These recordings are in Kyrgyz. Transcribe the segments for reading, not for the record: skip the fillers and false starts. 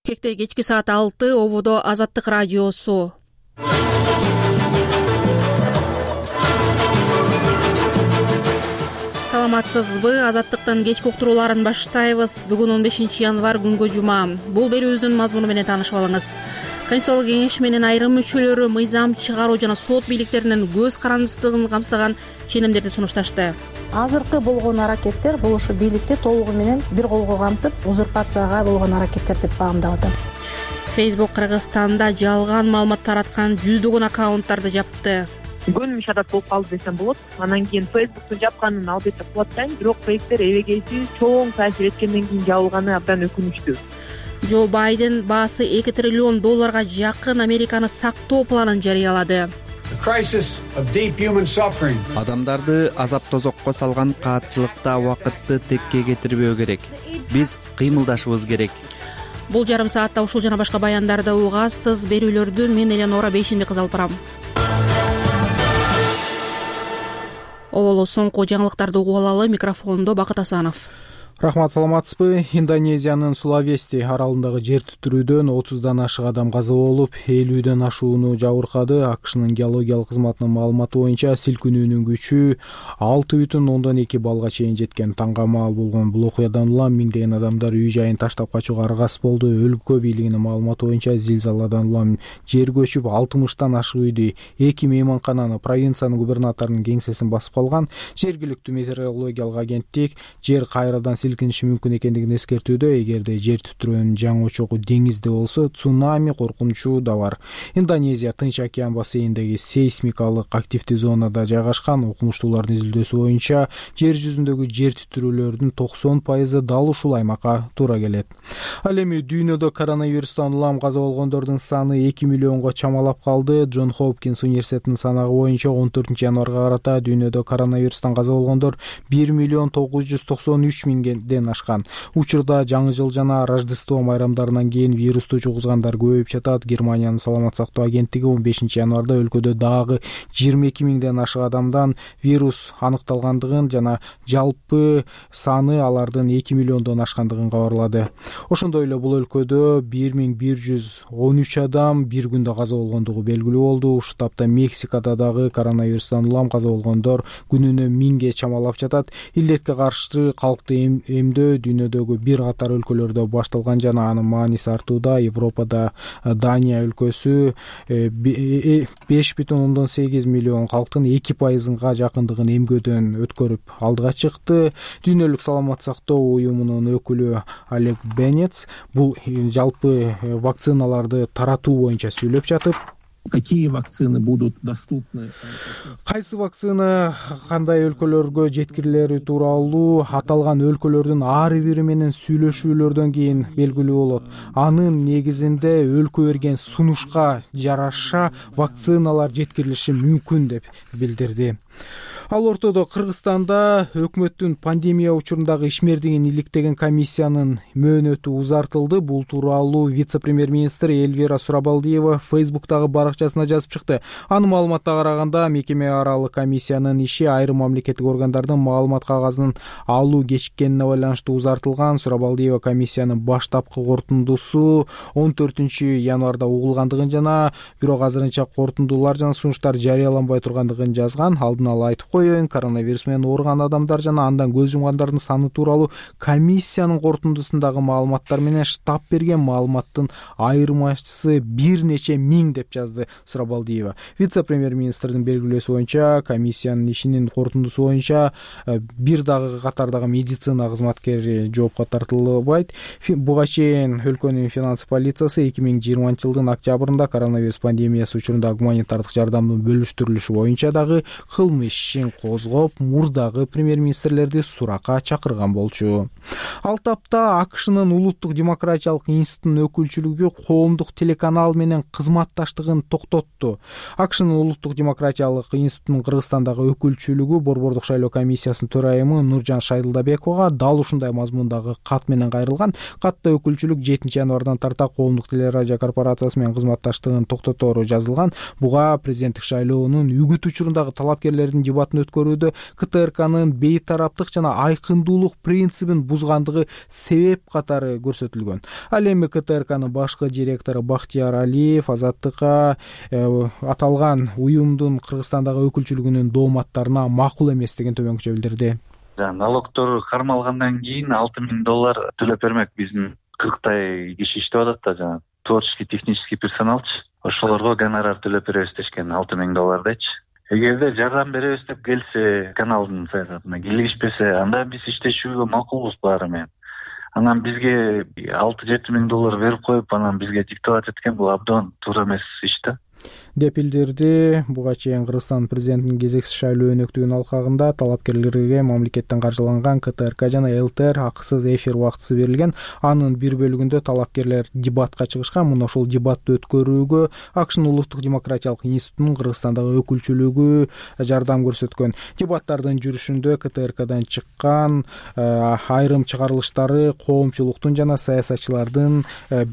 Бишкекте кечки саат 6 ободо Азаттык радиосу. Саламатсызбы? Азаттыктын кечки уктурууларын баштайбыз. Бүгүн 15 январь күнгө жума. Бул берүүбүздүн мазмуну менен таанышып алыңыз. Конституциялык кеңеш менен айрым мүчөлөрү мыйзам чыгаруу жана сот бийликтеринин көз карандысыздыгын камсыздаган ченемдерди сунушташты. Азыркы болгон аракеттер бул ушу бийликти толугу менен бир колго камтып, узурпацияга болгон аракеттер деп баамдап атам. Facebook Кыргызстанда жалган маалымат тараткан жүздөгөн аккаунттарды жапты. Көнүмүш адат болуп калды десем болот. Анан кийин Facebook'тун жапканын албетте кубаттайм, бирок проекттер эбегейсиз чоң таасир эткенден кийин жабылганы абдан өкүнүчтүү. Джо Байден баасы $2 триллион жакын Американы сактоо планын жарыялады. Адамдарды азап тозокко салган каатчылыкта убакытты текке кетирбөө керек. Биз кыймылдашыбыз керек. Бул жарым саатта ушул жана башка баяндарды угасыз. Берүүлөрдү мен Эленора Бейшинбек алып барам. Оболо соңку жаңылыктарды угуп алалы. Микрофондо Бакыт Асанов. Рахмат, саламатсызбы? Индонезиянын Сулавести аралындагы жер титирүүдөн 30дан ашык адам каза болуп, 50ден ашууну жабыркады. АКШнын геологиялык кызматынын маалыматы боюнча силкинүүнүн күчү 6,2 балга чейин жеткен. Таңга маал болгон бул окуядан улам миңдеген адамдар үй жайын таштап качууга аргасыз болду. Өлкө бийлигинин маалыматы боюнча зилзаладан улам жер көчүп 60тан ашык үйдү, 2 мейманкананы, провинциянын губернаторунун кеңсесин басып калган. Жергиликтүү метеорологиялык агенттик жер кайрадан силкиниши мүмкүн экендигин эскертүүдө. Эгерде жер титирөөнүн жаңы очогу деңизде болсо, цунами коркунучу да бар. Индонезия Тынч океан бассейниндеги сейсмикалык активдүү зонада жайгашкан. Окумуштуулардын изилдөөсү боюнча жер жүзүндөгү жер титирүүлөрдүн 90% дал ушул аймакка туура келет. Ал эми дүйнөдө коронавирустан улам каза болгондордун саны 2 миллионго чамалап калды. Джон Хопкинс университетинин санагы боюнча 14 январга карата дүйнөдө коронавирустан каза болгондор 1,993,000 ашкан. Учурда жаңы жыл жана Рождество майрамдарынан кийин вирусту жугузгандар көбөйүп жатат. Германиянын саламат сактоо агенттиги 15 январда өлкөдө дагы 22,000 ашык адамдан вирус аныкталгандыгын жана жалпы саны алардын 2 миллиондон ашкандыгын кабарлады. Ошондой эле бул өлкөдө 1113 адам бир күндө каза болгондугу белгилүү болду. Ушул тапта Мексикада дагы коронавирустан улам каза болгондор күнүнө 1000ге чамалап жатат. Илдетке каршы калкты эмдөө дүйнөдөгү бир катар өлкөлөрдө башталган жана анын мааниси артууда. Европада Дания өлкөсү 5,8 миллион калктын 2%га жакындыгын эмгөөдөн өткөрүп алдыга чыкты. Дүйнөлүк саламат сактоо уюмунун өкүлү Олег Бенец бул жалпы вакциналарды таратуу боюнча сүйлөп жатып, какие вакцины будут доступны? Кайсы вакцина кандай өлкөлөргө жеткирилери тууралуу аталган өлкөлөрдүн ар бири менен сүйлөшүүлөрдөн кийин белгилүү болот. Анын негизинде өлкө берген сунушка жараша вакциналар жеткирилиши мүмкүн деп билдирди. Ал ортодо Кыргызстанда өкмөттүн пандемия учурундагы ишмердигин иликтеген комиссиянын мөөнөтү узартылды. Бул тууралуу вице-премьер-министр Эльвира Сурабалдиева Facebook'тагы баракчасына жазып чыкты. Анын маалыматына караганда, мекеме аралык комиссиянын иши айрым мамлекеттик органдардын маалымат кагазын алуу кечиккенине байланыштуу узартылган. Сурабалдиева комиссиянын баштапкы корутундусу 14 январда угулгандыгын жана бирок азырынча корутундулар жана сунуштар жарыяланбай тургандыгын жазган. Алдын ала айтып коеюн, коронавирус менен ооруган адамдар жана андан көз жумгандардын саны тууралуу комиссиянын корутундусундагы маалыматтар менен штаб берген маалыматтын айырмачысы бир нече миң деп жазды Сурабалдиева. Вице-премьер-министрдин белгилөөсү боюнча, комиссиянын ишинин корутундусу боюнча бир дагы катардагы медицина кызматкери жоопко тартылбайт. Буга чейин өлкөнүн финанс полициясы 2020 жылдын октябрында коронавирус пандемиясы учурунда гуманитардык жардамдын бөлүштүрүлүшү боюнча дагы кылмыш ишин козгоп, мурдагы премьер-министрлерди суракка чакырган болчу. Ал тапта АКШнын Улуттук демократиялык институтунун өкүлчүлүгү коомдук телеканал менен кызматташтыгын токтотту. АКШнын Улуттук демократиялык институтунун Кыргызстандагы өкүлчүлүгү Борбордук шайлоо комиссиясынын төрайымы Нуржан Шайдылдабековага дал ушундай мазмундагы кат менен кайрылган. Катта өкүлчүлүк 7 январдан тарта коомдук телерадио корпорациясы менен кызматташтыгын токтотору жазылган. Буга президенттик шайлоонун үгүт учурундагы талапкерлердин дебатын саммитин өткөрүүдө КТРКнын бейтараптык жана айкындуулук принцибин бузгандыгы себеп катары көрсөтүлгөн. Ал эми КТРКнын башкы директору Бактияр Алиев Азаттыкка аталган уюмдун Кыргызстандагы өкүлчүлүгүнүн дооматтарына макул эместигин төмөнкүчө билдирди. Налогдор кармалгандан кийин $6,000 төлөп бермек. Биздин 40 киши иштеп атат да, жана творческий технический персоналчы. Ошолорго гонорар төлөп беребиз дешкен $6,000дечи. Эгерде жардам беребиз деп келсе, каналдын саясатына келишпесе, анда биз иштешүүгө макулбуз баары менен. Анан бизге $6-7,000 берип коюп, анан бизге диктовать эткен бул абдан туура эмес иш да, деп билдирди. Буга чейин Кыргызстан президентинин кезексиз шайлоо өнөктүгүнүн алкагында талапкерлерге мамлекеттен каржыланган КТРК жана ЛТР акысыз эфир убактысы берилген. Анын бир бөлүгүндө талапкерлер дебатка чыгышкан. Мына ошол дебатты өткөрүүгө АКШнын Улуттук демократиялык институтунун Кыргызстандагы өкүлчүлүгү жардам көрсөткөн. Дебаттардын жүрүшүндө КТРКдан чыккан айрым чыгарылыштары коомчулуктун жана саясатчылардын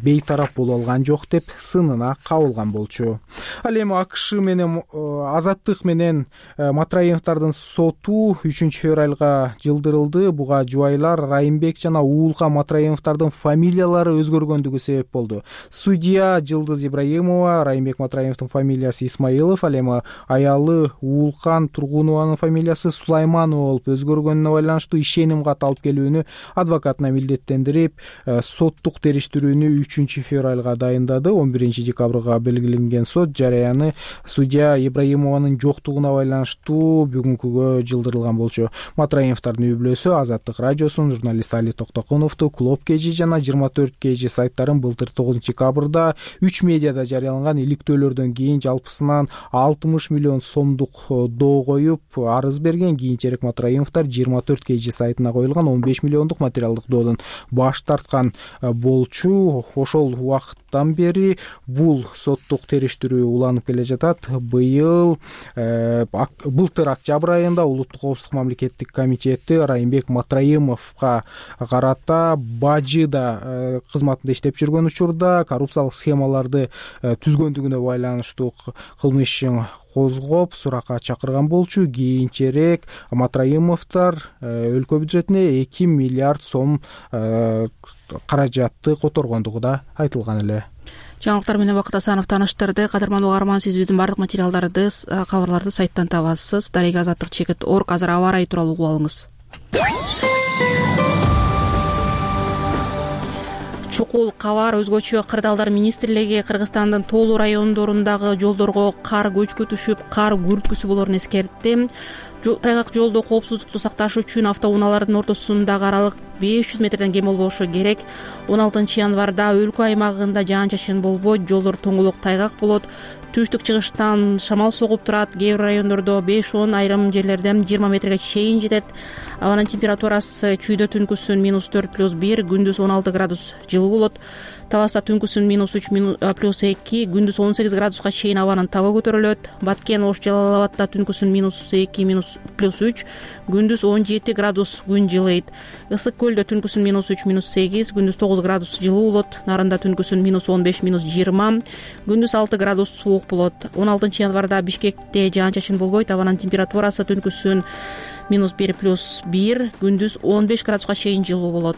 бейтарап боло алган жок деп сынына кабылган болчу. Ал эми АКШ менен Азаттык менен Матраимовдордун соту 3-февралга жылдырылды. Буга жубайлар Райымбек жана Уулкан Матраимовдордун фамилиялары өзгөргөндүгү себеп болду. Судья Жылдыз Ибраимова, Райымбек Матраимовдун фамилиясы Исмаилов, ал эми аялы Уулкан Тургунованын фамилиясы Сулайманова болуп өзгөргөнүнө байланыштуу ишеним кат алып келүүнү адвокатына милдеттендирип, соттук териштирүүнү 3-февралга дайындады. 11-декабрга белгиленген сот жараяны судья Ибраимованын жоктугуна байланыштуу бүгүнкүгө жылдырылган болчу. Матраимовдордун үй-бүлөсү Азаттык радиосун, журналист Али Токтокуновду, Клуб KG жана 24 KG сайттарын былтыр 9-декабрда 3 медиада жарыяланган иликтөөлөрдөн кийин жалпысынан 60 миллион сомдук доо коюп арыз берген. Кийинчерээк Матраимовдор 24 KG сайтына коюлган 15 миллиондук материалдык доодон баш тарткан болчу. Ошол убакыттан бери бул соттук териштирүү уланып келе жатат. Былтыр октябрь айында Улуттук коопсуздук мамлекеттик комитети Райымбек Матраимовго карата Бажыда кызматында иштеп жүргөн учурда коррупциялык схемаларды түзгөндүгүнө байланыштуу кылмыш ишин козгоп суракка чакырган болчу. Кийинчерээк Матраимовдор өлкө бюджетине 2 миллиард сом каражатты которгондугу да айтылган эле. Жаңылыктар менен Бакыт Асанов тааныштырды. Кадырман угарман, сиз биздин бардык материалдарды, кабарларды сайттан табасыз. Дарега Азаттык.org. Азыр аба ырайы тууралуу угуп алыңыз. Чукул кабар өзгөчө кырдаалдар министрлиги Кыргызстандын тоолуу райондорундагы жолдорго кар көчкү түшүп, кар күрүткүсү болоорун эскертти. Тайгак жолдо коопсуздукту сакташ үчүн автоунаалардын ортосундагы аралык 500 метрден кем болбошу керек. 16 январда өлкө аймагында жаан-чачын болбойт, жолдор тоңолок тайгак болот. Түштүк-чыгыштан шамал согуп турат. Кээ бир райондордо 5-10, айрым жерлерде 20 метрге чейин жетет. Абанын температурасы чүйдө түнкүсүн -4+1, күндүз 16 градус жылуу болот. Таласта түнкүсүн -3+2, күндүз 18 градуска чейин абанын табы көтөрүлөт. Баткен, Ош, Жалал Абадта түнкүсүн -2, -3, күндүз 17 градус күн жылыйт. Ысык көлдө түнкүсүн -3, -8, күндүз 9 градус жылуу болот. Нарында түнкүсүн -15, -20, күндүз 6 градус суук болот. 16 январда Бишкекте жаан-чачын болбойт. Абанын температурасы түнкүсүн -1+1, күндүз 15 градуска чейин жылуу болот.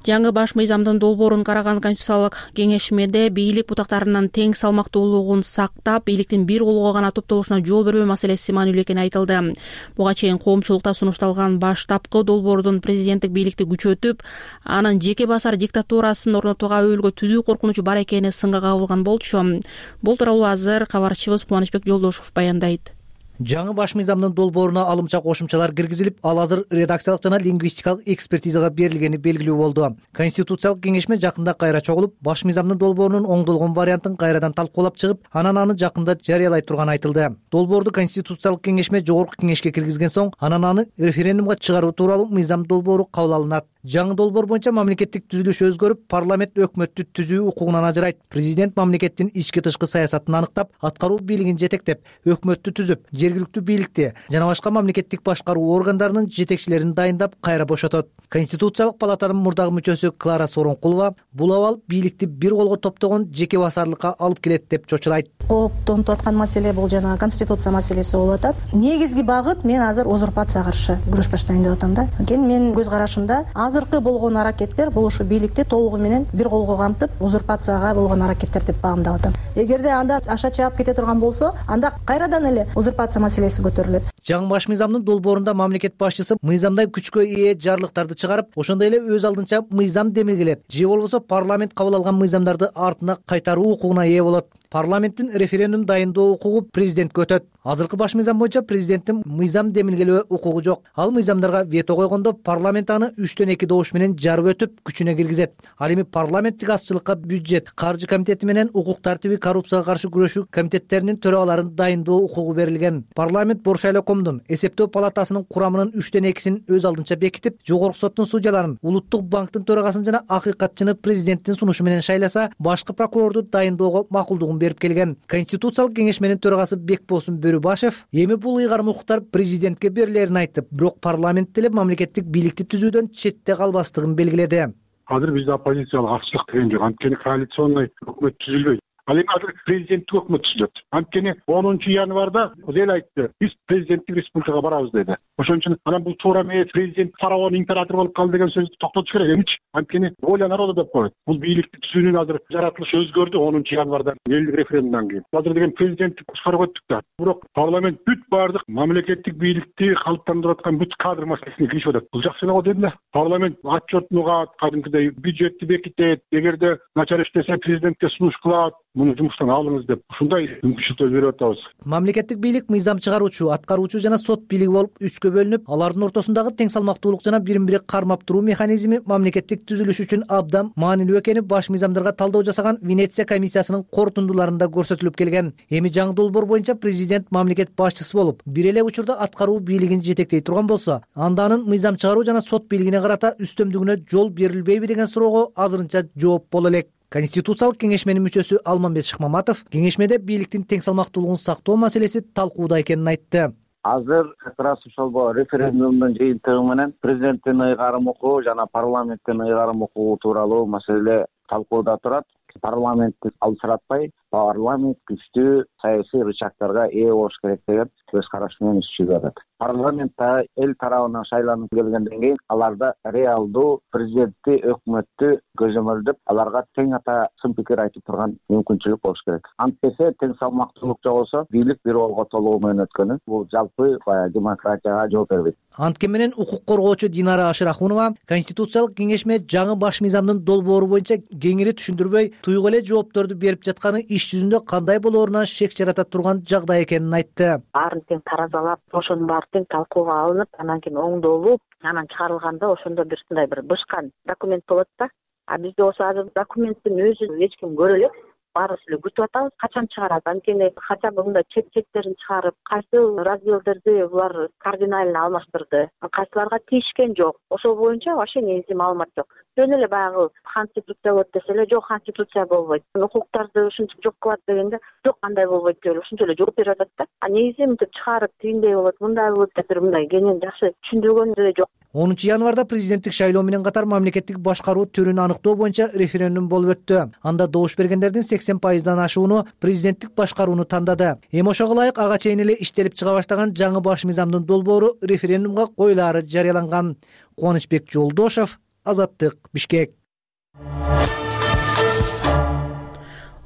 Жаңы баш мыйзамдын долбоорун караган Конституциялык кеңешмеде бийлик бутактарынын тең салмактуулугун сактап, бийликтин бир колго гана топтолушуна жол бербөө маселеси маанилүү экени айтылды. Буга чейин коомчулукта сунушталган баштапкы долбоордун президенттик бийликти күчөтүп, анын жеке басар диктатурасын орнотууга өбөлгө түзүү коркунучу бар экени сынга кабылган болчу. Бул тууралуу азыр кабарчыбыз Кубанычбек Жолдошов баяндайт. Жаңы баш мыйзамдын долбооруна алымча кошумчалар киргизилип, ал азыр редакциялык жана лингвистикалык экспертизага берилгени белгилүү болду. Конституциялык кеңешме жакында кайра чогулуп, баш мыйзамдын долбоорунун оңдолгон вариантын кайрадан талкуулап чыгып, анан аны жакында жарыялай турганы айтылды. Долбоорду Конституциялык кеңешме жогорку кеңешке киргизген соң, анан аны референдумга чыгаруу тууралуу мыйзам долбоору кабыл алынат. жаңы долбоор боюнча мамлекеттик түзүлүш өзгөрүп, парламент өкмөттү түзүү укугунан ажырайт. Президент мамлекеттин ички тышкы саясатын аныктап, аткаруу бийлигин жетектеп, өкмөттү түзүп, жергиликтүү бийликти жана башка мамлекеттик башкаруу органдарынын жетекчилерин дайындап, кайра бошотот. Конституциялык палатанын мурдагы мүчөсү Клара Сооронкулова бул абал бийликти бир колго топтогон жеке басарлыкка алып келет деп чочулайт. Кооптонуп аткан маселе бул жана конституция маселеси болуп атат. Негизги багыт мен азыр узурпацияга каршы күрөш баштайын деп атам да. Анткени менин көз карашымда азыркы болгон аракеттер бул ушу бийликти толугу менен бир колго камтып, узурпацияга болгон аракеттер деп баамдап атам. Эгерде анда аша чаап кете турган болсо, анда кайрадан эле узурпация маселеси көтөрүлөт. Жаңы баш мыйзамдын долбоорунда мамлекет башчысы мыйзамдай күчкө ээ жарлыктарды чыгарып, ошондой эле өз алдынча мыйзам демилгелеп, же болбосо парламент кабыл алган мыйзамдарды артына кайтаруу укугуна ээ болот. Парламенттин референдум дайындоо укугу президентке өтөт. Азыркы баш мыйзам боюнча президенттин мыйзам демилгелөө укугу жок. Ал мыйзамдарга вето койгондо парламент аны 3/2 добуш менен жарып өтүп, күчүнө киргизет. Ал эми парламенттик азчылыкка бюджет, каржы комитети менен укук тартиби, коррупцияга каршы күрөшүү комитеттеринин төрагаларын дайындоо укугу берилген. Парламент Бош шайлоокомдун эсептөө палатасынын курамынын 3/2 өз алдынча бекитип, жогорку соттун судьяларын, улуттук банктын төрагасын жана акыйкатчыны президенттин сунушу менен шайласа, башкы прокурорду дайындоого макулдугун берип келген. Конституциялык кеңешменин төрагасы Бекболсун Бөрүбашев эми бул ыйгарым укуктар президентке берилерин айтып, бирок парламент деле мамлекеттик бийликти түзүүдөн четте калбастыгын белгиледи. Азыр бизде оппозициялык акчылык деген жок. Анткени коалиционный өкмөт түзүлбөйт. Ал эми азыр президенттик өкмөт түзүлөт. Анткени 10 январда эл айтты, биз президенттик республикага барабыз деди. Ошон үчүн анан бул туура эмес, президент фараон, император болуп калды деген сөздү токтотуш керек эмичи. Анткени воля народа деп коет. Бул бийликти түзүүнүн азыр жаратылышы өзгөрдү 10 январда элдик референдумдан кийин. Азыр деген президенттик башкарууга өттүк да. Бирок парламент бүт баардык мамлекеттик бийликти калыптандырып аткан бүт кадр маселесине киришип атат. Бул жакшы эле го дедим да. Парламент отчетун угат, кадимкидей бюджетти бекитет, эгерде начар иштесе президентке сунуш кылат. Муну жумуштан алыңыз деп ушундай мүмкүнчүлүктөр берип атабыз. Мамлекеттик бийлик мыйзам чыгаруучу, аткаруучу жана сот бийлиги болуп 3кө бөлүнүп, алардын ортосундагы тең салмактуулук жана бирин-бири кармап туруу механизми мамлекеттик түзүлүш үчүн абдан маанилүү экени баш мыйзамдарга талдоо жасаган Венеция комиссиясынын корутундуларында көрсөтүлүп келген. Эми жаңы долбоор боюнча президент мамлекет башчысы болуп, бир эле учурда аткаруу бийлигин жетектей турган болсо, анда анын мыйзам чыгаруу жана сот бийлигине карата үстөмдүгүнө жол берилбейби деген суроого азырынча жооп боло элек. Конституциялык кеңешменин мүчөсү Алмамбет Шыкмаматов кеңешмеде бийликтин тең салмактуулугун сактоо маселеси талкууда экенин айтты. Азыр как раз ошол референдумдун жыйынтыгы менен президенттин ыйгарым укугу жана парламенттин ыйгарым укугу тууралуу маселе талкууда турат. Парламентти алсыратпай, парламент күчтүү саясий рычагдарга ээ болуш керек деген көз караш менен иш жүзүп атат. Парламентта эл тарабынан шайланып келгенден кийин аларда реалдуу президентти, өкмөттү көзөмөлдөп, аларга тең ата сын пикир айтып турган мүмкүнчүлүк болуш керек. Антпесе тең салмактуулук жок болсо, бийлик бир колго толугу менен өткөнү бул жалпы демократияга жооп бербейт. Анткени менен укук коргоочу Динара Ашырахунова Конституциялык кеңешме жаңы баш мыйзамдын долбоору боюнча кеңири түшүндүрбөй, туйгу эле жоопторду берип жатканы иш жүзүндө кандай болооруна шек жарата турган жагдай экенин айтты. Баарын тең таразалап, ошонун баары тең талкууга алынып, анан кийин оңдолуп, анан чыгарылганда ошондо бир сындай бир бышкан документ болот да. А бизде болсо азыр документтин өзүн эч ким көрө элек. Баарыбыз эле күтүп атабыз, качан чыгарат. Анткени хотя бы мындай чектерин чыгарып, кайсы разделдерди булар кардинально алмаштырды, кайсыларга тийишкен жок. Ошол боюнча вообще негизги маалымат жок. Жөн эле баягы конституция болот десе эле, жок конституция болбойт. Укуктарды ушинтип жок кылат дегенде, жок андай болбойт деп эле ушунча эле жооп берип атат да. А негизи мынтип чыгарып, тигиндей болот, мындай болот деп бир мындай кенен жакшы түшүндүргөн деле жок. 10 январда президенттик шайлоо менен катар мамлекеттик башкаруу түрүн аныктоо боюнча референдум болуп өттү. Анда добуш бергендердин 80%дан ашууну президенттик башкарууну тандады. Эми ошого ылайык ага чейин эле иштелип чыга баштаган жаңы баш мыйзамдын долбоору референдумга коюлаары жарыяланган. Кубанычбек Жолдошев, Азаттык, Бишкек.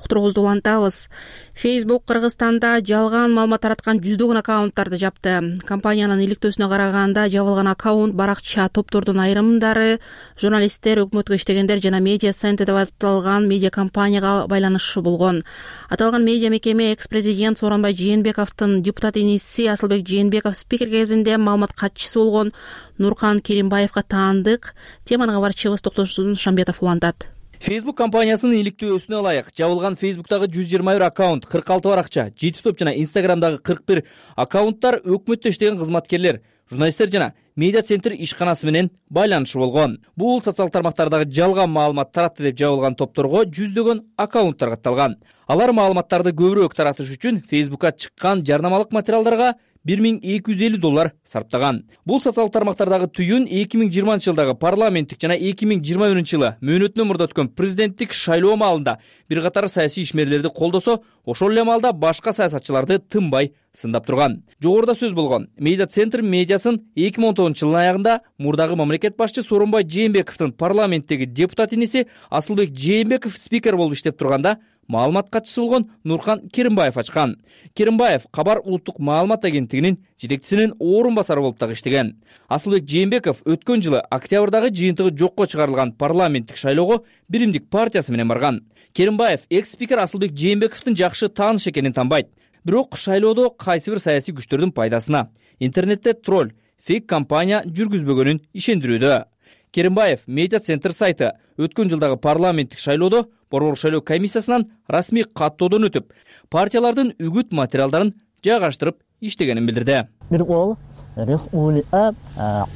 Уктуруубузду улантабыз. Facebook Кыргызстанда жалган маалымат тараткан жүздөгөн аккаунттарды жапты. Компаниянын иликтөөсүнө караганда жабылган аккаунт баракча топтордун айрымдары журналисттер, өкмөткө иштегендер жана медиа центр деп аталган медиа компанияга байланышлуу болгон. Аталган медиа мекеме экс-президент Сооронбай Жээнбековдун депутат иниси Асылбек Жээнбеков спикер кезинде маалымат катчысы болгон Нуркан Керимбаевга таандык. Теманы кабарчыбыз Токтосун Шамбетов улантат. Facebook компаниясынын иликтөөсүнө ылайык жабылган Facebook'тагы 121 аккаунт, 46 баракча, 7 топ жана Instagram'дагы 41 аккаунттар өкмөттө иштеген кызматкерлер, журналисттер жана медиа центр ишканасы менен байланышы болгон. Бул социалдык тармактардагы жалган маалымат таратты деп жабылган топторго жүздөгөн аккаунттар катталган. Алар маалыматтарды көбүрөөк таратыш үчүн Facebook'ка чыккан жарнамалык материалдарга $1250 сарптаган. Бул социалдык тармактардагы түйүн 2020 жылдагы парламенттик жана 2021 жылы мөөнөтүнөн мурда өткөн президенттик шайлоо маалында бир катар саясий ишмерлерди колдосо, ошол эле маалда башка саясатчыларды тынбай сындап турган. Жогоруда сөз болгон медиа центр медиасын 2019 жылдын аягында мурдагы мамлекет башчы Сооронбай Жээнбековдун парламенттеги депутат иниси Асылбек Жээнбеков спикер болуп иштеп турганда маалымат катчысы болгон Нурхан Керимбаев ачкан. Керимбаев Кабар улуттук маалымат агенттигинин жетекчисинин орун басары болуп дагы иштеген. Асылбек Жээнбеков өткөн жылы октябрдагы жыйынтыгы жокко чыгарылган парламенттик шайлоого Биримдик партиясы менен барган. Керимбаев экс-спикер Асылбек Жээнбековдун жакшы тааныш экенин танбайт. Бирок шайлоодо кайсы бир саясий күчтөрдүн пайдасына интернетте тролль, фейк компания жүргүзбөгөнүн ишендирүүдө. Керимбаев медиа центр сайты өткөн жылдагы парламенттик шайлоодо Борбор шайлоо комиссиясынан расмий каттоодон өтүп, партиялардын үгүт материалдарын жайгаштырып иштегенин билдирди. Бир ол республика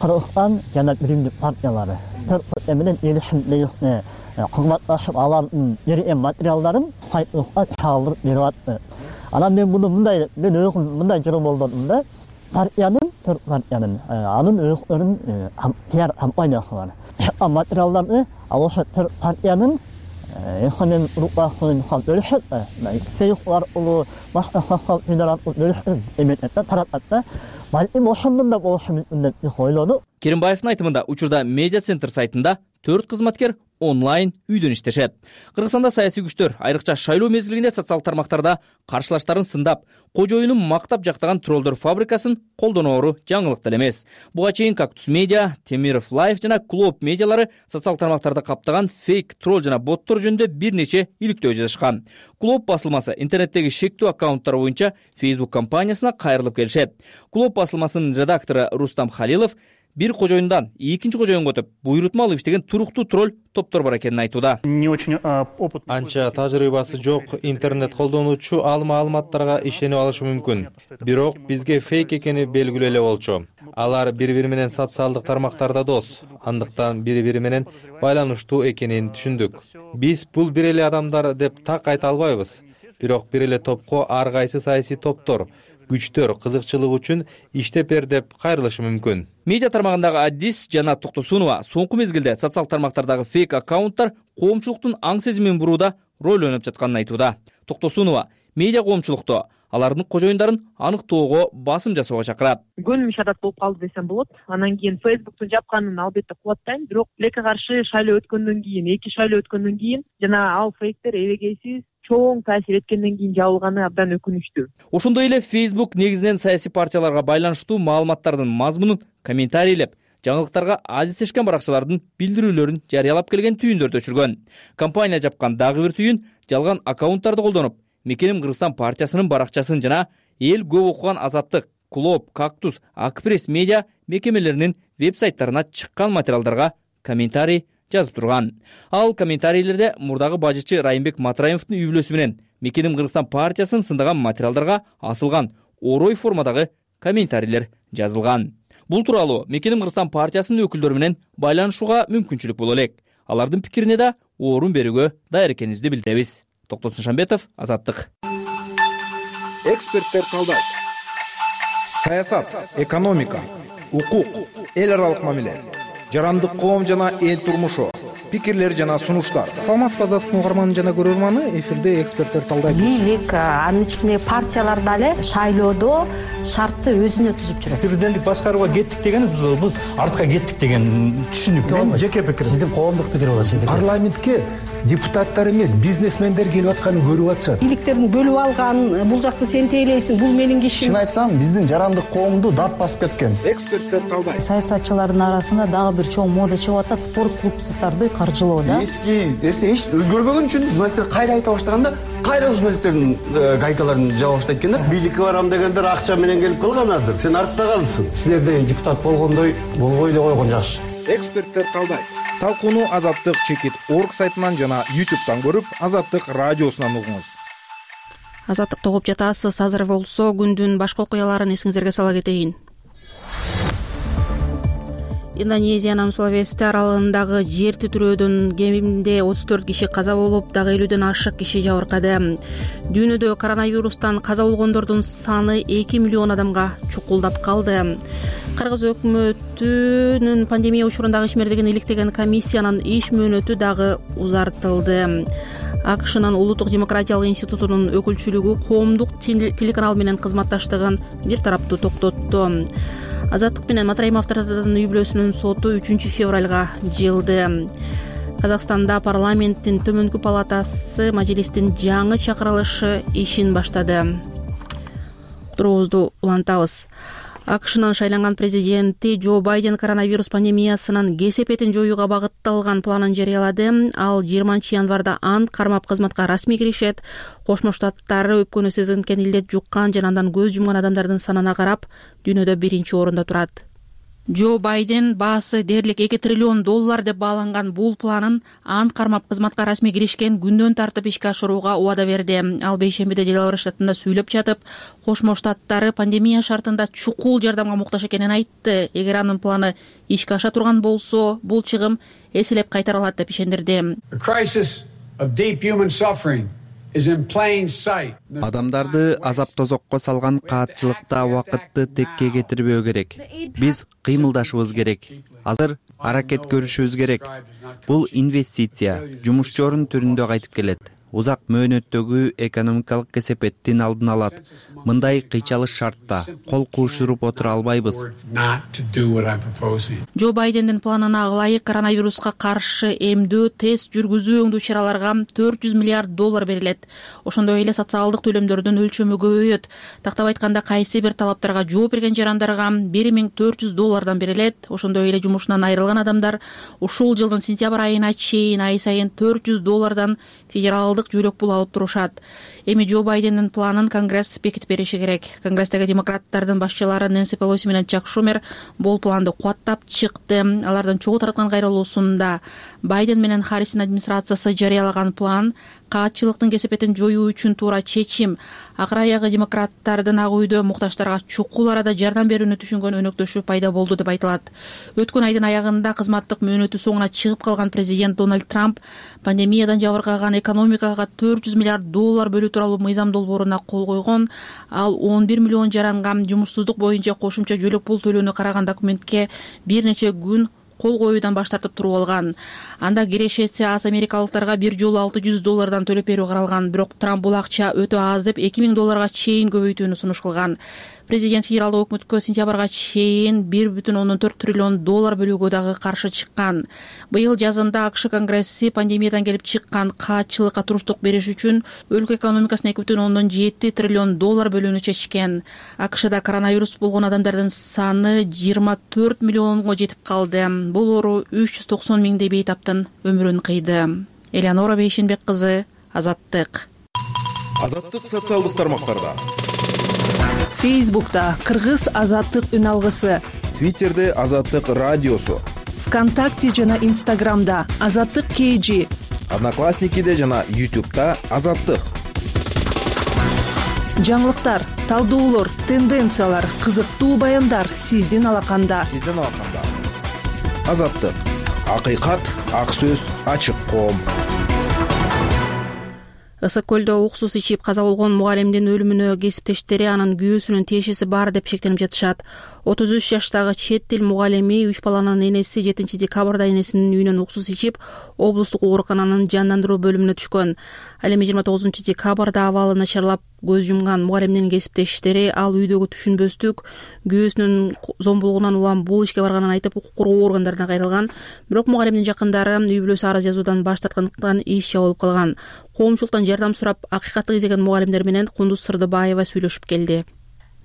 Кыргызстан жана Биримдик партиялары менен элишимдеги кызматташып алардын берген материалдарын сайтыбызга чалдырып берип атты. Анан мен муну мен өзүм мындай жолдодум да, партиянын анын өзүнүн пиар компаниясы бар. Материалдарды ошо партиянын экономик рукасын бөлүшөт, фейслар улуу башка состав бөлүшөт, эметте таратат. Балким ошондон да болушу мүмкүн деп ойлоду. Керимбаевдин айтымында учурда медиа центр сайтында 4 кызматкер онлайн үйдөн иштешет. Кыргызстанда саясий күчтөр айрыкча шайлоо мезгилинде социалдык тармактарда каршылаштарын сындап, кожоюнун мактап жактаган троллдор фабрикасын колдоноору жаңылык деле эмес. Буга чейин Кактус медиа, Темиров Лайф жана Клоп медиалары социалдык тармактарда каптаган фейк тролл жана боттор жөнүндө бир нече иликтөө жазышкан. Клоп басылмасы интернеттеги шектүү аккаунттар боюнча Facebook компаниясына кайрылып келишет. Клоп басылмасынын редактору Рустам Халилов бир кожоюндан экинчи кожоюнга өтүп, буйрутма алып иштеген туруктуу тролль топтор бар экенин айтууда. Анча тажрыйбасы жок интернет колдонуучу ал маалыматтарга ишенип алышы мүмкүн. Бирок бизге фейк экени белгилүү эле болчу. Алар бири-бири менен социалдык тармактарда дос, андыктан бири-бири менен байланыштуу экенин түшүндүк. Биз бул бир эле адамдар деп так айта албайбыз. Бирок бир эле топко ар кайсы саясий топтор, күчтөр кызыкчылык үчүн иштеп бер деп кайрылышы мүмкүн. Медиа тармагындагы Адис жана Токтосунова соңку мезгилде социалдык тармактардагы фейк аккаунттар коомчулуктун аң сезимин бурууда роль ойноп жатканын айтууда. Токтосунова медиа коомчулукту алардын кожоюндарын аныктоого басым жасоого чакырат. Көнүм ишарат болуп калды десем болот. Анан кийин Facebook'тун жапканын албетте кубаттайм, бирок тилекке каршы шайлоо өткөндөн кийин, 2 шайлоо өткөндөн кийин жана ал фейктер эбегейсиз чоң таасир эткенден кийин жабылганы абдан өкүнүчтүү. Ошондой эле Facebook негизинен саясий партияларга байланыштуу маалыматтардын мазмунун комментарийлеп, жаңылыктарга азиздешкен баракчалардын билдирүүлөрүн жарыялап келген түйүндөрдү өчүргөн. Компания жапкан дагы бир түйүн жалган аккаунттарды колдонуп, Мекеним Кыргызстан партиясынын баракчасын жана эл көп окуган Азаттык, Клоп, Кактус, Акпресс медиа мекемелеринин веб-сайттарына чыккан материалдарга комментарий жазып турган. Ал комментарийлерде мурдагы бажычы Райымбек Матраимовдун үй бүлөсү менен Мекеним Кыргызстан партиясын сындаган материалдарга асылган орой формадагы комментарийлер жазылган. Бул тууралуу Мекеним Кыргызстан партиясынын өкүлдөрү менен байланышууга мүмкүнчүлүк боло элек. Алардын пикирине да орун берүүгө даяр экенибизди билдиребиз. Токтосун Шамбетов, Азаттык. Эксперттер талдайт. Саясат, экономика, укук, эл аралык мамиле, жарандык коом жана эл турмушу, пикирлер жана сунуштар. Саламатсызбы Азаттыктын угарманы жана көрөрманы, эфирде эксперттер талдайт. Бийлик, анын ичинде партиялар дагы шайлоодо шартты өзүнө түзүп жүрөт. Президенттик башкарууга кеттик деген биз артка кеттик деген түшүнүк. Мен жеке пикирим. Сиздин коомдук пикир болот, сиздики. Парламентке депутаттар эмес, бизнесмендер келип атканын көрүп атышат. Бийликтердин бөлүп алган, бул жакты сен тейлейсиң, бул менин кишим. Чын айтсам, биздин жарандык коомду дат басып кеткен. Эксперттер талдайт. Саясатчылардын арасында дагы бир чоң мода чыгып атат, спорт клубдарды каржылоо да. Эски нерсе эч өзгөрбөгөн үчүн журналисттер кайра айта баштаганда, кайра журналисттердин гайкаларын жаба баштайт экен да. Бийликке барам дегендер акча менен келип калганадыр. Сен артта калдың. Силерде депутат болгондой болбой эле койгон жакшы. эксперттер талдайт. Талкууну azattik.org сайтынан жана YouTube'дан көрүп, Азаттык радиосунан угуңуз. Азаттыкты угуп жатасыз. Азыр болсо күндүн башка окуяларын эсиңиздерге сала кетейин. Индонезиянын Сулавеси аралыгындагы жер титирөөдөн кеминде 34 киши каза болуп, дагы 50дөн ашык киши жабыркады. Дүйнөдө коронавирустан каза болгондордун саны 2 миллион адамга чукулдап калды. Кыргыз өкмөтүнүн пандемия учурундагы ишмердигин иликтеген комиссиянын иш мөөнөтү дагы узартылды. АКШнын Улуттук демократиялык институтунун өкүлчүлүгү коомдук телеканал менен кызматташтыгын бир тараптуу токтотту. Азаттык менен Матраимовдордун үй бүлөсүнүн соту 3 февралга жылды. Казакстанда парламенттин төмөнкү палатасы мажлистин жаңы чакырылышы ишин баштады. Уктуруубузду улантабыз. АКШнын шайланган президенти Джо Байден коронавирус пандемиясынын кесепетин жоюуга багытталган планын жарыялады. Ал 20 январда ант кармап кызматка расмий киришет. Кошмо Штаттары өпкөнү сезинкен илдет жуккан жана андан көз жумган адамдардын санына карап дүйнөдө 1-орунда турат. Джо Байден баасы дээрлик $2 триллион деп бааланган бул планын ант кармап кызматка расмий киришкен күндөн тартып ишке ашырууга убада берди. Ал бейшембиде Делавэр штатында сүйлөп жатып, Кошмо Штаттары пандемия шартында чукул жардамга муктаж экенин айтты. Эгер анын планы ишке аша турган болсо, бул чыгым эселеп кайтарылат деп ишендирди. Адамдарды азап тозокко салган каатчылыкта убакытты текке кетирбөө керек. Биз кыймылдашыбыз керек. Азыр аракет көрүшүбүз керек. Бул инвестиция, жумушчу орун түрүндө кайтып келет. Узак мөөнөттөгү экономикалык кесепеттин алдын алат. Мындай кыйчалыш шартта кол куушуруп отура албайбыз. Джо Байдендин планына ылайык коронавируска каршы эмдөө, тест жүргүзүү өңдүү чараларга $400 миллиард берилет. Ошондой эле социалдык төлөмдөрдүн өлчөмү көбөйөт. Тактап айтканда, кайсы бир талаптарга жооп берген жарандарга $1400 берилет. Ошондой эле жумушунан айрылган адамдар ушул жылдын сентябрь айына чейин ай сайын $400 федералдык жөлөк пул алып турушат. Эми Джо Байдендин планын Конгресс бекитип бериши керек. Конгресстеги демократтардын башчылары Нэнси Пелоси менен Чак Шумер бул планды кубаттап чыкты. Алардын чогуу тараткан кайрылуусунда Байден менен Харрistин администрациясы жарыялаган план каатчылыктын кесепетин жоюу үчүн туура чечим. Акыр аягы демократтардын ак үйдө муктаждарга чукул арада жардам берүүнү түшүнгөн өнөктөшү пайда болду деп айтылат. Өткөн айдын аягында кызматтык мөөнөтү соңуна чыгып калган президент Дональд Трамп пандемиядан жабыркаган экономикага $400 миллиард бөлүү тууралуу мыйзам долбооруна кол койгон. Ал 11 миллион жаранга жумушсуздук боюнча кошумча жөлөк пул төлөөнү караган документке бир нече күн кол коюудан баш тартып туруп алган. Анда кирешеси аз америкалыктарга бир жолу $600 төлөп берүү каралган. Бирок Трамп бул акча өтө аз деп $2000 чейин көбөйтүүнү сунуш кылган. Президент федералдык өкмөткө сентябрга чейин $1,4 триллион бөлүүгө дагы каршы чыккан. Быйыл жазында АКШ Конгресси пандемиядан келип чыккан каатчылыкка туруштук бериш үчүн өлкө экономикасына $2,7 триллион бөлүүнү чечкен. АКШда коронавирус болгон адамдардын саны 24 миллионго жетип калды. Бул оору 390 миңдей бейтаптын өмүрүн кыйды. Элеонора Бейшенбек кызы, Азаттык. Азаттык социалдык тармактарда. Фейсбукта Кыргыз Азаттык үн алгысы, Твиттерде Азаттык радиосу, ВКонтакте жана Инстаграмда Азаттык KG, Одноклассникиде жана YouTube'да Азаттык. Жаңылыктар, талдоолор, тенденциялар, кызыктуу баяндар сиздин алаканда. Азаттык. Акыйкат, ак сөз, ачык коом. Ысык көлдө уксус ичип каза болгон мугалимдин өлүмүнө кесиптештери анын күйөөсүнүн тиешеси бар деп шектенип жатышат. 33 жаштагы чет тил мугалими 3 баланын энеси 7 декабрда энесинин үйүнөн уксус ичип, облустук оорукананын жандандыруу бөлүмүнө түшкөн. Ал эми 29 декабрда абалы начарлап көз жумган мугалимдин кесиптештери ал үйдөгү түшүнбөстүк, күйөөсүнүн зомбулугунан улам бул ишке барганын айтып, укук коргоо органдарына кайрылган. Бирок мугалимдин жакындары үй бүлөсү арыз жазуудан баш тарткандыктан иш жабылып калган. Коомчулуктан жардам сурап, акыйкатты изеген мугалимдер менен Кундуз Сырдыбаева сүйлөшүп келди.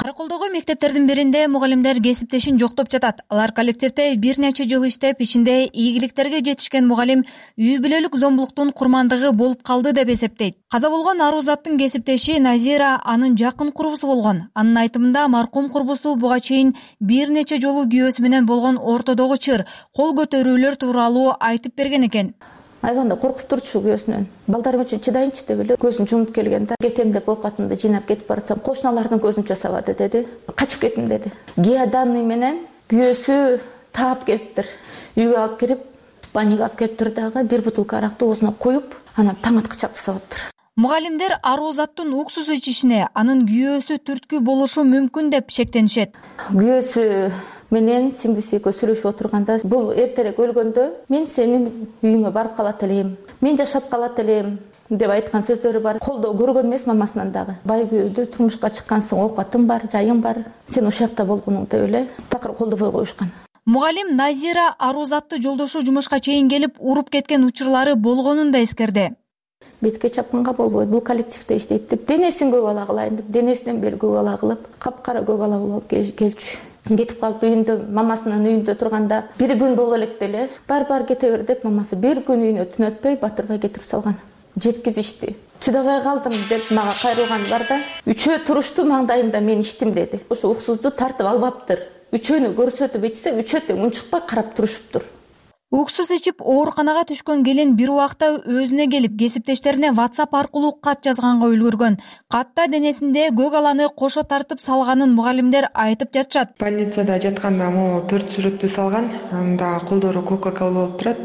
Караколдогу мектептердин биринде мугалимдер кесиптешин жоктоп жатат. Алар коллективде бир нече жыл иштеп, ишинде ийгиликтерге жетишкен мугалим үй бүлөлүк зомбулуктун курмандыгы болуп калды деп эсептейт. Каза болгон Арузаттын кесиптеши Назира анын жакын курбусу болгон. Анын айтымында маркум курбусу буга чейин бир нече жолу күйөөсү менен болгон ортодогу чыр, кол көтөрүүлөр тууралуу айтып берген экен. Айванда коркуп турчу күйөөсүнөн. Балдарым үчүн чыдайынчы деп эле көзүн жумуп келген да. Кетем деп оокатымды жыйнап кетип баратсам, кошуналардын көзүн часабады деди. Качып кеттим деди. Геоданный менен күйөөсү таап келиптир. Үйгө алып кирип, баняга алып келиптир дагы, бир бутылка аракты оозуна коюп, анан таң аткыча жасаптыр. Мугалимдер Арузаттын уксус ичишине анын күйөөсү түрткү болушу мүмкүн деп шектенишет. Күйөөсү менен сиңдиси экөө сүйлөшүп отурганда, бул эртерээк өлгөндө мен сенин үйүңө барып калат элем, мен жашап калат элем деп айткан сөздөрү бар. Колдоо көргөн эмес мамасынан дагы. Бай күйөөдө турмушка чыккансың, оокатың бар, жайың бар, сен ошол жакта болгонуң деп эле такыр колдобой коюшкан. Мугалим Назира Арузатты жолдошу жумушка чейин келип уруп кеткен учурлары болгонун да эскерди. Бетке чапканга болбойт, бул коллективде иштейт деп, денесин көк ала кылайын деп, денесинен бери көк ала кылып, капкара көк ала болуп келчү. Кетип калып үйүндө, мамасынын үйүндө турганда, бир күн боло электе эле, бар кете бер деп мамасы бир күн үйүнө түн өтпөй батырбай кетирип салган. Жеткизишти. Чыдабай калдым деп мага кайрылган бар да. Үчөө турушту маңдайымда мен иштим деди. Ошо уксузду тартып албаптыр. Үчөөнү көрсөтүп ичсе, үчөө тең унчукпай карап турушуптур. Уксус ичип ооруканага түшкөн келин бир убакта өзүнө келип, кесиптештерине WhatsApp аркылуу кат жазганга үлгүргөн. Катта денесинде көк аланы кошо тартып салганын мугалимдер айтып жатышат. Больницада жатканда могу 4 сүрөттү салган, анда колдору Coca-Cola болуп турат.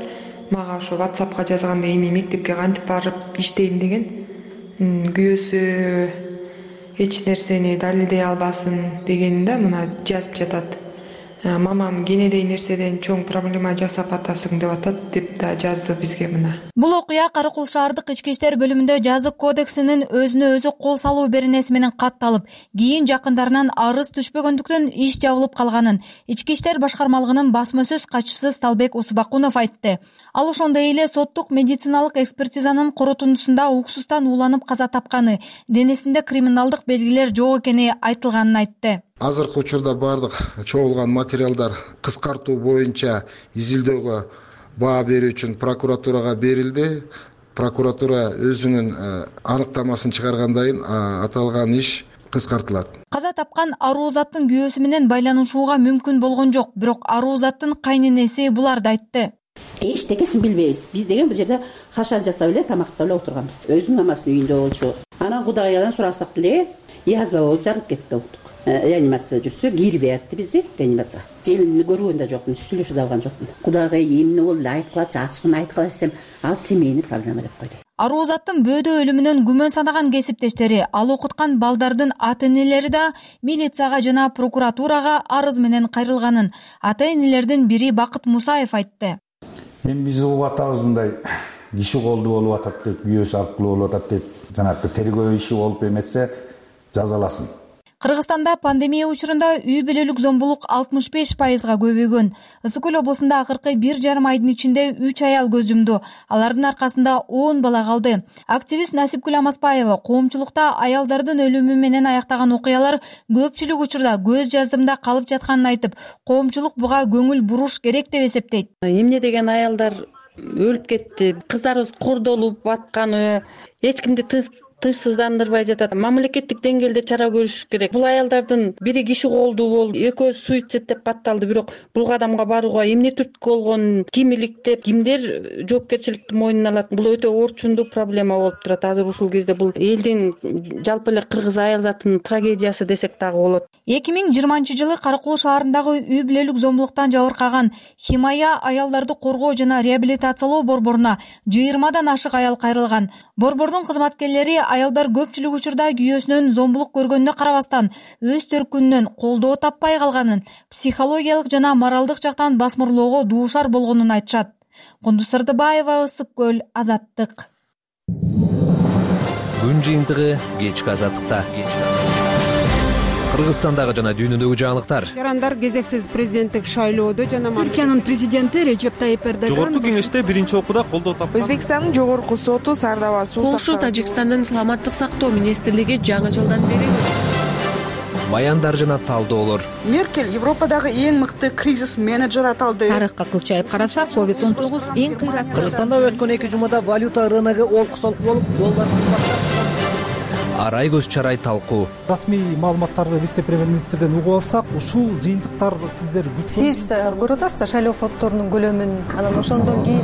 Мага ошо WhatsAppка жазганда эми мектепке кантип барып иштейм деген. Күйөөсү эч нерсени далилдей албасын дегенде мына жазып жатат. Мамам кенедей нерседен чоң проблема жасап атасың деп атат деп да жазды бизге мына. Бул окуя Каракол шаардык ички иштер бөлүмүндө жазык кодексинин өзүнө өзү кол салуу беренеси менен катталып, кийин жакындарынан арыз түшпөгөндүктөн иш жабылып калганын ички иштер башкармалыгынын басма сөз катчысы Сталбек Усубакунов айтты. Ал ошондой эле соттук медициналык экспертизанын корутундусунда уксустан ууланып каза тапканы, денесинде криминалдык белгилер жок экени айтылганын айтты. Азыркы учурда бардык чогулган материалдар кыскартуу боюнча изилдөөгө баа берүү үчүн прокуратурага берилди. Прокуратура өзүнүн аныктамасын чыгаргандан кийин аталган иш кыскартылат. Каза тапкан Арузаттын күйөөсү менен байланышууга мүмкүн болгон жок, бирок Арузаттын кайненеси буларды айтты. Эчтекесин билбейбиз. Биз деген бул жерде хашар жасап эле, тамак жасап эле отурганбыз. Өзүнүн мамасынын үйүндө болчу. Анан Кудайдан сурасак деле, язва болуп жарылып кетти оптук. Реанимацияда жүрсө, кирбей атты бизди реанимацияга. Элимди көргөн да жокмун, сүйлөшө да алган жокмун. Кудайга эмне болду, айткылачы, ачыгын айткыла десем, ал семейный проблема деп койду. Арузаттын бөөдө өлүмүнөн күмөн санаган кесиптештери, ал окуткан балдардын ата-энелери да милицияга жана прокуратурага арыз менен кайрылганын ата-энелердин бири Бакыт Мусаев айтты. Мен биз угуп атабыз мындай киши колду болуп атат деп, күйөөсү аркылуу болуп атат деп, жанагы тергөө иши болуп эметсе жазаласын. Кыргызстанда пандемия учурунда үй бүлөлүк зомбулук 65%га көбөйгөн. Ысык көл облусунда акыркы 1,5 айдын ичинде 3 аял көз жумду. Алардын аркасында 10 бала калды. Активист Насипкүл Амаспаева коомчулукта аялдардын өлүмү менен аяктаган окуялар көпчүлүк учурда көз жаздымда калып жатканын айтып, коомчулук буга көңүл буруш керек деп эсептейт. Эмне деген аялдар өлүп кетти, кыздарыбыз кордолуп атканы, эч кимди тынчсыздандырбай жатат. Мамлекеттик деңгээлде чара көрүш керек. Бул аялдардын бири киши колдуу болуп, экөө суицид деп батталды, бирок бул кадамга барууга эмне түрткү болгонун ким иликтеп, кимдер жоопкерчиликти мойнуна алат? Бул өтө орчундуу проблема болуп турат. Азыр ушул кезде бул элдин жалпы эле кыргыз аял затынын трагедиясы десек дагы болот. 2020-жылы Каракол шаарындагы үй бүлөлүк зомбулуктан жабыркаган Химая аялдарды коргоо жана реабилитациялоо борборуна 20дан ашык аял кайрылган. Борбордун кызматкерлери аялдар көпчүлүк учурда күйөөсүнөн зомбулук көргөнүнө карабастан өз төркүнүнөн колдоо таппай калганын, психологиялык жана моралдык жактан басмырлоого дуушар болгонун айтышат. Кундуз Сырдыбаева, Ысык көл, Азаттык. Күн жыйынтыгы кечки Азаттыкта. Кыргызстандагы жана дүйнөдөгү жаңылыктар. Жарандар кезексиз президенттик шайлоодо жана Түркиянын президенти Режеп Тайип Эрдоган жогорку кеңеште биринчи окууда колдоо тапты. Өзбекстандын жогорку соту Сардава суу Полша Тажикстандын саламаттык сактоо министрлиги жаңы жылдан бери баяндар жана талдоолор. Меркель Европадагы эң мыкты кризис менеджер аталды. Тарыхка кылчайып карасак, COVID-19 эң кыйраттуу. Кыргызстанда өткөн 2 жумада валюта рыногу олку-солку болуп, доллар Арай көз чарай талкуу. Расмий маалыматтарды вице-премьер-министрден угуп алсак, ушул жыйынтыктар сиздер сиз көрүп атасыздар шайлоо фонддорунун көлөмүн, анан ошондон кийин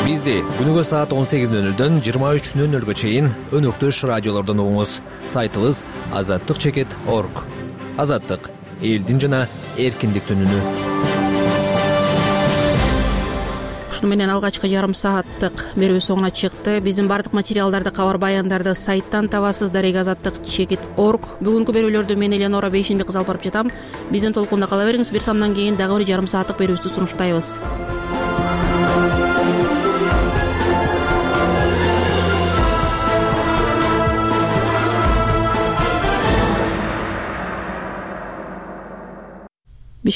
Бизди күнүгө саат 18:00дөн 23:00га чейин өнөктөш радиолордон угуңуз. Сайтыбыз azаттык.org. Азаттык — элдин жана эркиндиктин үнү. Ушуну менен алгачкы жарым сааттык берүү соңуна чыкты. Биздин бардык материалдарды, кабар баяндарды сайттан табасыз. azаттык.org. Бүгүнкү берүүлөрдү мен Эленора Бейшенбек кыз алып барып жатам. Биздин толкунда кала бериңиз. Бир самдан кийин дагы бир жарым сааттык берүүбүздү сунуштайбыз.